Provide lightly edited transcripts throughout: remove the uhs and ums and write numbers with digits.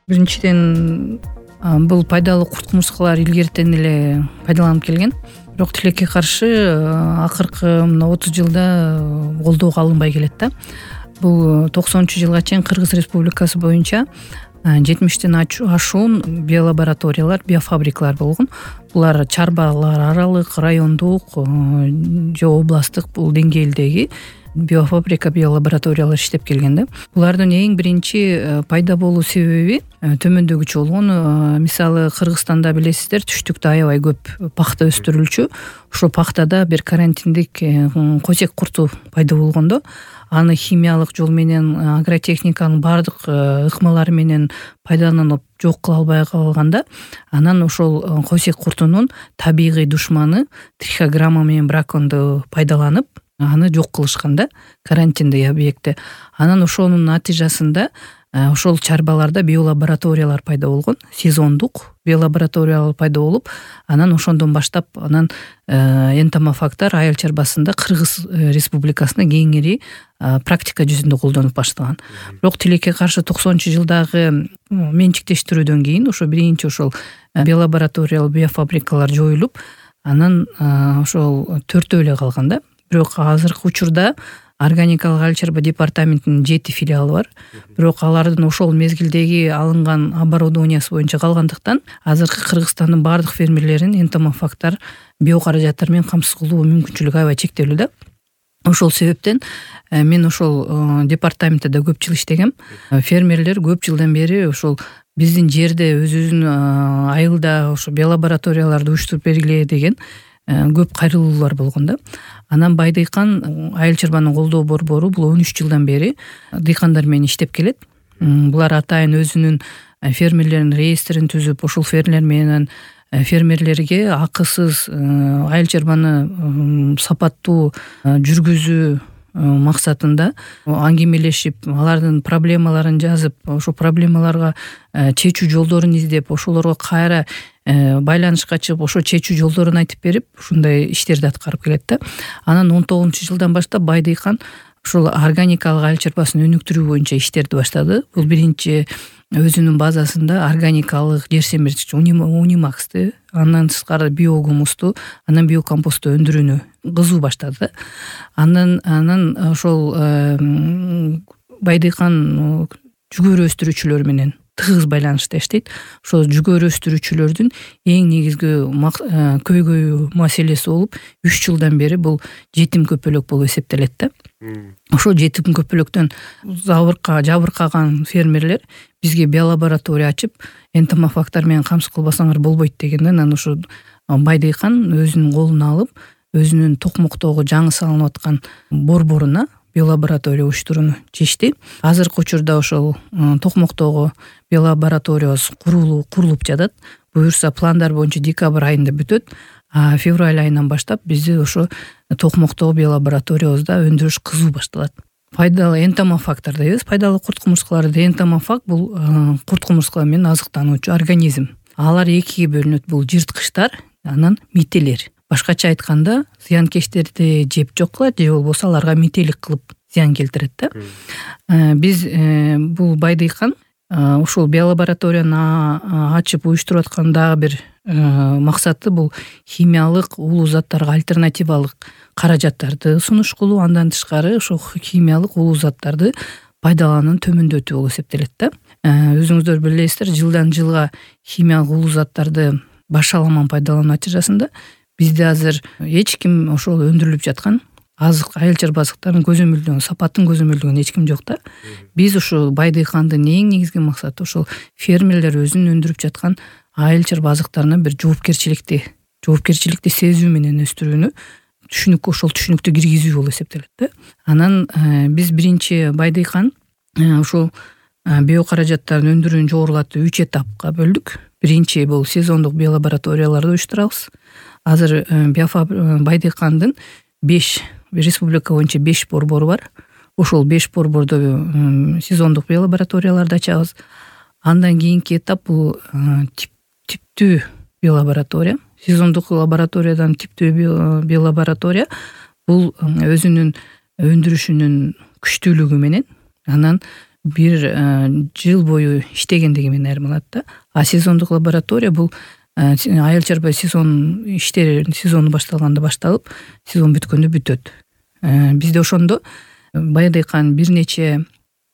Биринчиден бул пайдалуу курт кумурскалар илгертен эле пайдаланып келген. Бирок тилекке каршы акыркы мына 30 жылда колдоого алынбай келет да. Бул 90-жылга чейин Кыргыз Республикасы боюнча 70тен ашуун биолабораториялар, биофабрикалар болгон. Булар чарбалар аралык, райондук же областтык бул деңгээлдеги биофабрика, биолабораториялар иштеп келген да. Булардын эң биринчи пайда болуу себеби төмөндөгүчө болгон. Мисалы Кыргызстанда билесиздер, түштүктө аябай көп пахта өстүрүлчү. Ошо пахтада бир карантиндик косек курту пайда болгондо, аны химиялык жол менен, агротехниканын баардык ыкмалары менен пайдаланып жок кыла албай калганда, анан ошол косек куртунун табигый душманы трихограмма менен браконду пайдаланып, аны жок кылышкан да, карантиндеги объектте. Анан ошонун натыйжасында ошол чарбаларда биолабораториялар пайда болгон, сезондук биолабораториялар пайда болуп, анан ошондон баштап анан энтомофагдар айыл чарбасында Кыргыз Республикасында кеңири практика жүзүндө колдонуп баштаган. Бирок тилекке каршы 90-жылдагы менчиктештирүүдөн кийин ошо биринчи ошол биолабораториялык биофабрикалар жоюлуп, анан ошол 4 эле калган да. Бирок азыркы учурда органикалык айыл чарба департаментинин 7 филиалы бар. Бирок алардын ошол мезгилдеги алынган оборудованиясы боюнча калгандыктан азыркы Кыргызстандын баардык фермерлерин энтомофагдар биокаражаттар менен камсыз кылуу мүмкүнчүлүгү аябай чектелүү да. Ошол себептен мен ошол департаментте да көп жыл иштегем. Фермерлер көп жылдан бери ошол биздин жерде өзүбүздүн айылда ошо биолабораторияларды уюштуруп бергиле деген көп кайрылуулар болгон да. Анан Бай дыйкан айыл чарбанын колдоо борбору бул 13 жылдан бери дыйкандар менен иштеп келет. Булар атайын өзүнүн фермерлеринин реестрин түзүп, ошол фермерлер менен фермерлерге акысыз айыл чарбаны сапаттуу жүргүзүү максатында аңгемелешип, алардын проблемаларын жазып, ошо проблемаларга чечүү жолдорун издеп, ошолорго кайра байланышка чыгып, ошо чечүү жолдорун айтып берип, ушундай иштерди аткарып келет да. Анан 19-жылдан баштап Бай дыйкан ошол органикалык айыл чарбасын өнүктүрүү боюнча иштерди баштады. Бул биринчи өзүнүн базасында органикалык жер семирткич унимаксты, андан тышкары биогумусту, анан биокомпосту өндүрүүнү кызуу баштады. Анан ошол Бай дыйкан жүгөрү өстүрүүчүлөр менен тыгыз байланышта иштейт. Ошол жүгөрү өстүрүүчүлөрдүн эң негизги көйгөй маселеси болуп, 3 жылдан бери бул жетим көпөлөк болуп эсептелет да. Ошол жетим көпөлөктөн жабыркаган фермерлер бизге биолаборатория ачып, энтомофагдар менен камсыз кылбасаңар болбойт дегенден, анан ошо Бай дыйкан өзүнүн колуна алып, өзүнүн Токмоктогу жаңы салынып аткан борборуна биолаборатория уюштурууну чечти. Азыркы учурда ошол Токмоктогу биолаборатория курулуп жатат. Буюрса пландар боюнча декабрь айында бүтөт. А февраль айынан баштап бизде ошо Токмоктогу биолабораториябызда өндүрүш кызуу башталат. Пайдалуу энтомофагдар дейбиз. Пайдалуу курт кумурскаларды энтомофаг бул курт кумурскалар менен азыктануучу организм. Алар экиге бөлүнөт. Бул жырткычтар, анан мителер. Башкача айтканда, зыянкечтерди жеп жок кылат, же болбосо аларга мителик кылып зыян келтирет да. Биз бул Бай дыйкан ушул биолабораторияны ачып уюштуруп аткан дагы бир максаты бул химиялык улуу заттарга альтернативалык каражаттарды сунуш кылуу, андан тышкары ошол химиялык улуу заттарды пайдаланууну төмөндөтүү болуп эсептелет да. Өзүңүздөр билесиздер, жылдан жылга химиялык улуу заттарды башаламан пайдалануу натыйжасында бизде азыр эч ким ошол өндүрүлүп жаткан айыл чарба азыктарын көзөмөлдөгөн, сапатын көзөмөлдөгөн эч ким жок да. Биз ошол Бай дыйкандын эң негизги максаты ошол фермерлер өзүнүн өндүрүп жаткан айыл чарба азыктарына бир жоопкерчиликти сезүү менен өстүрүүнү, ошол түшүнүктү киргизүү болуп эсептелет да. Анан биз биринчи Бай дыйкан ошол биокаражаттарын өндүрүүнү жогорулатып 3 этапка бөлдүк. Биринчи бул сезондук биолабораторияларды уюштурабыз. Азыр Бай дыйкандын 5 республика боюнча 5 борбору бар. Ошол 5 борбордо сезондук биолабораторияларды ачабыз. Андан кийинки этап бул типтүү биолаборатория. Сезондук лабораториядан типтүү биолаборатория бул өзүнүн өндүрүшүнүн күчтүүлүгү менен, анан бир жыл бою иштегендиги менен айырмаланат да. А сезондук лаборатория бул айыл чарба сезон иштери сезону башталганда башталып, сезон бүткөндө бүтөт. Бизде ошондо Баядыйкан бир нече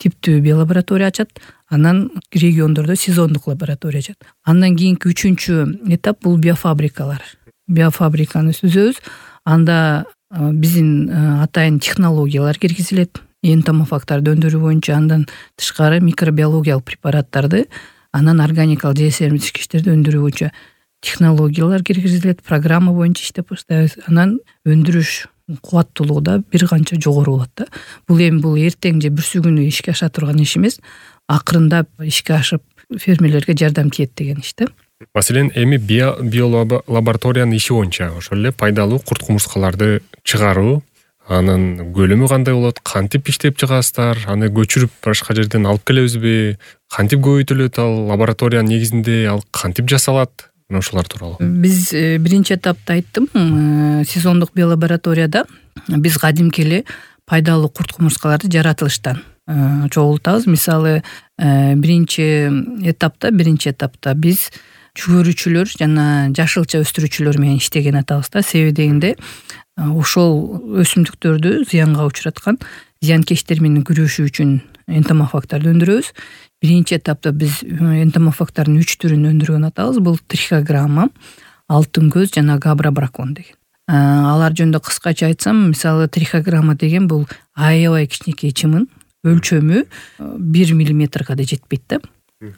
типтүү биолаборатория ачат, анан региондордо сезондук лаборатория ачат. Андан кийинки 3-чү этап бул биофабрикалар. Биофабриканы түзөбүз. Анда биздин атайын технологиялар киргизилет. Энтомофагтарды өндүрүү боюнча, андан тышкары микробиологиялык препараттарды, анан органикалык жесемдеткичтерди өндүрүү боюнча технологиялар киргизилет. Программа боюнча иштеп баштайбыз. Анан өндүрүш кубаттуулугу да бир канча жогору болот да. Бул эми эртең же бүрсү күнү ишке аша турган иш эмес. Акырындап ишке ашып фермерлерге жардам тиет деген иш да. Маселен, эми биолабораториянын иши боюнча ошол эле пайдалуу курт-кумурскаларды чыгаруу, анын көлөмү кандай болот, кантип иштеп чыгасыздар, аны көчүрүп башка жерден алып келебизби, кантип көбөйтүлөт ал лабораториянын негизинде, ал кантип жасалат? Мына ошолор тууралуу. Биз биринчи этапта айттым, сезондук биолабораторияда биз кадимки эле пайдалуу курт-кумурскаларды жаратылыштан чогултабыз. Мисалы, биринчи этапта биз жүгөрүүчүлөр жана жашылча өстүрүүчүлөр менен иштеген атабыз да. Себеби дегенде ошол өсүмдүктөрдү зыянга учураткан зыянкечтер менен күрөшүү үчүн энтомофагтарды өндүрөбүз. Биринчи этапта биз энтомофагтардын 3 түрүн өндүргөн атабыз. Бул трихограмма, алтын көз жана габрабракон деген. Алар жөнүндө кыскача айтсам, мисалы трихограмма деген бул аябай кичинекей чымын, өлчөмү 1 миллиметрге да жетпейт да.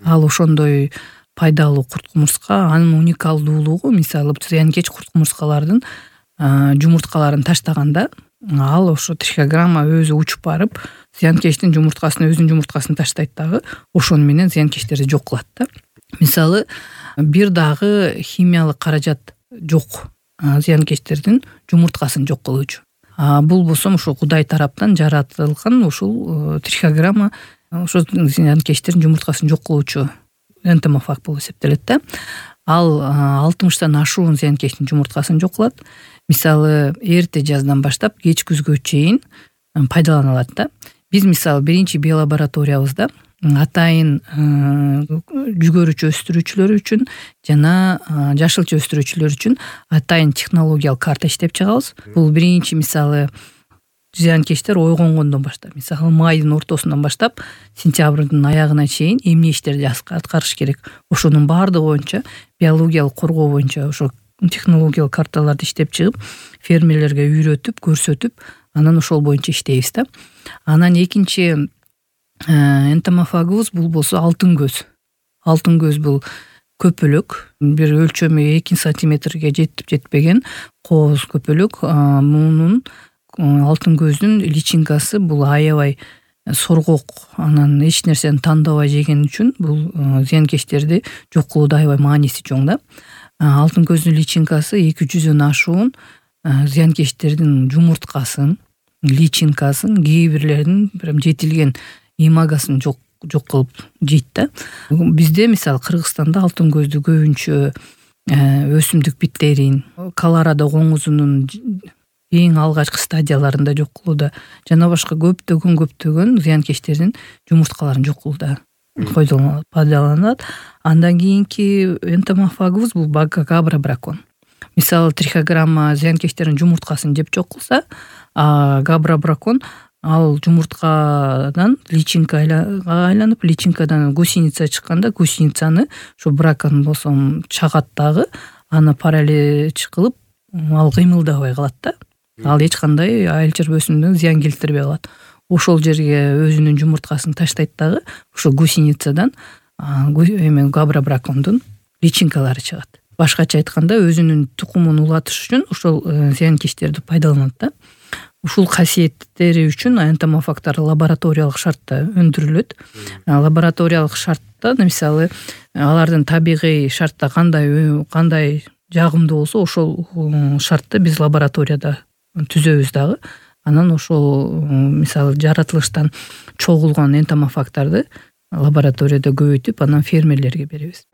Ал ошондой пайдалуу курт-кумурска. Анын уникалдуулугу, мисалы зыянкеч курт-кумурскалардын жумурткаларын таштаганда, ал ошо трихограмма өзү учуп барып, зыянкечтин өзүнүн жумурткасын таштайт дагы, ошону менен зыянкечтерди жок кылат да. Мисалы, бир дагы химиялык каражат жок зыянкечтердин жумурткасын жок кылуучу. Бул болсо ошо Кудай тараптан жаратылган ушул трихограмма ошо зыянкечтердин жумурткасын жок кылуучу энтомофаг болуп эсептелет да. Ал 60тан ашуун зыянкечтин жумурткасын жок кылат. Мисалы, эрте жаздан баштап кеч күзгө чейин пайдаланылат да. Биз мисалы биринчи биолабораториябызда атайын жүгөрүүчү өстүрүүчүлөр үчүн жана жашылча өстүрүүчүлөр үчүн атайын технологиялык карта иштеп чыгабыз. Бул биринчи мисалы зыянкечтер ойгонгондон баштап, мисалы майдын ортосунан баштап сентябрдын аягына чейин эмне иштерди аткарыш керек, ошонун баардыгы боюнча биологиялык коргоо боюнча ошо технологиялык карталарды иштеп чыгып, фермерлерге үйрөтүп, көрсөтүп, анан ошол боюнча иштейбиз да. Анан экинчи энтомофагыбыз бул болсо алтын көз. Алтын көз бул көпөлөк, бир өлчөмү 2 сантиметрге жетип жетпеген кооз көпөлөк. Мунун алтын көздүн личинкасы бул аябай соргок, анан эч нерсени тандабай жеген үчүн бул зыянкечтерди жок кылууда аябай мааниси чоң да. Алтын көздүн личинкасы 200дөн ашуун зыянкечтердин жумурткасын, личинкасын, кээ бирлеринин прям жетилген имагасын жок кылып жейт да. Бизде мисалы Кыргызстанда алтын көздү көбүнчө өсүмдүк биттерин, Колорадо коңузунун эң алгачкы стадияларында жок кылууда жана башка көптөгөн зыянкечтердин жумурткаларын жок кылууда пайдаланылат. Андан кийинки энтомофагыбыз бул габрабракон. Мисалы трихограмма зыянкечтердин жумурткасын жеп жок кылса, габрабракон ал жумурткадан личинкага айланып, личинкадан гусеница чыкканда, гусеницаны ушу бракон болсо чагат дагы, аны паралич кылып, ал кыймылдабай калат да. Ал эч кандай айыл чарба өсүмдүгүнө зыян келтирбей калат. Ошол жерге өзүнүн жумурткасын таштайт дагы, ошо гусеницадан габрабракондун личинкалары чыгат. Башкача айтканда, өзүнүн тукумун улатыш үчүн ошол зыянкечтерди пайдаланат да. Ушул касиеттери үчүн энтомофагтар лабораториялык шартта өндүрүлөт. Лабораториялык шартта, мисалы, алардын табигый шартта кандай жагымдуу болсо, ошол шартты биз лабораторияда түзөбүз дагы. Анан ошол мисалы жаратылыштан чогулган энтомофагтарды лабораторияда көбөйтүп, анан фермерлерге беребиз.